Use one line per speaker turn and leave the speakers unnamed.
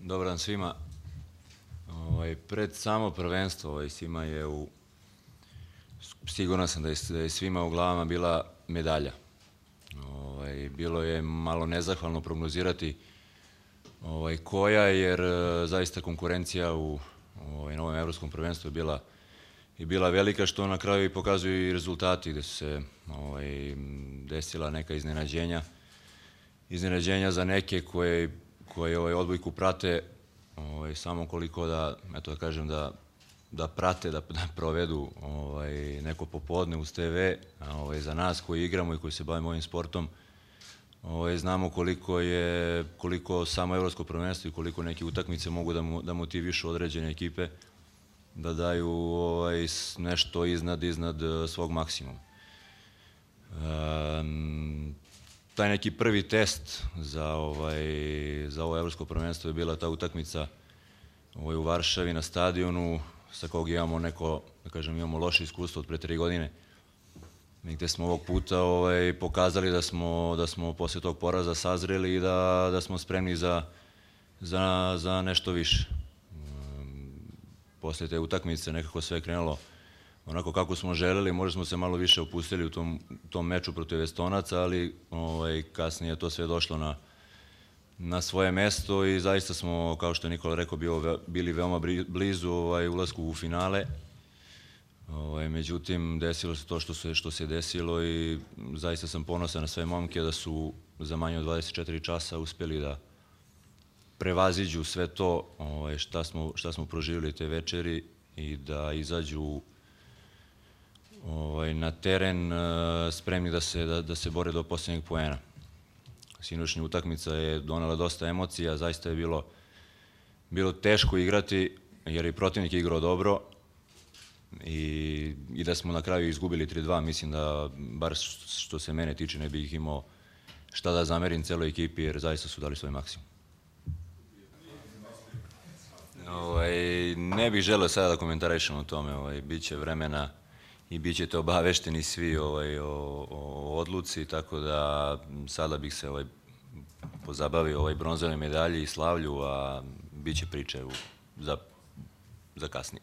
Dobar dan svima. Pred samo prvenstvo svima je siguran sam da je svima u glavama bila medalja. Bilo je malo nezahvalno prognozirati koja, jer zaista konkurencija u novom evropskom prvenstvu je bila velika, što na kraju i pokazuju i rezultati, gde su se desila neka iznenađenja za neke koje odbojku prate, samo koliko da kažem da prate, da provedu neko popodne uz TV, za nas koji igramo i koji se bavimo ovim sportom, znamo koliko samo evropsko prvenstvo i koliko neke utakmice mogu da motivišu određene ekipe da daju nešto iznad svog maksimuma. Taj neki prvi test za ovo evropsko prvenstvo je bila ta utakmica u Varšavi na stadionu, sa kog imamo imamo loše iskustvo od pre 3 godine, gde smo ovog puta pokazali da smo posle tog poraza sazreli i da smo spremni za nešto više. Posle te utakmice nekako sve je krenulo onako kako smo želeli, možda smo se malo više opustili u tom meču protiv Estonaca, ali kasnije je to sve došlo na svoje mesto i zaista smo, kao što je Nikola rekao, bili veoma blizu ulasku u finale. Međutim, desilo se to što se desilo i zaista sam ponosan na sve momke da su za manje od 24 časa uspeli da prevaziđu sve to šta smo proživjeli te večeri i da izađu na teren spremni da se bore do poslednjeg poena. Sinoćnja utakmica je donela dosta emocija, zaista je bilo teško igrati jer je protivnik igrao dobro i da smo na kraju izgubili 3-2, mislim da, bar što se mene tiče, ne bih imao šta da zamerim celoj ekipi jer zaista su dali svoj maksimum. Ne bih želeo sada da komentarišem o tome, bit će vremena i bit ćete obavešteni svi o odluci, tako da sada bih se pozabavio bronzovoj medalji i slavlju, a bit će priče za kasnije.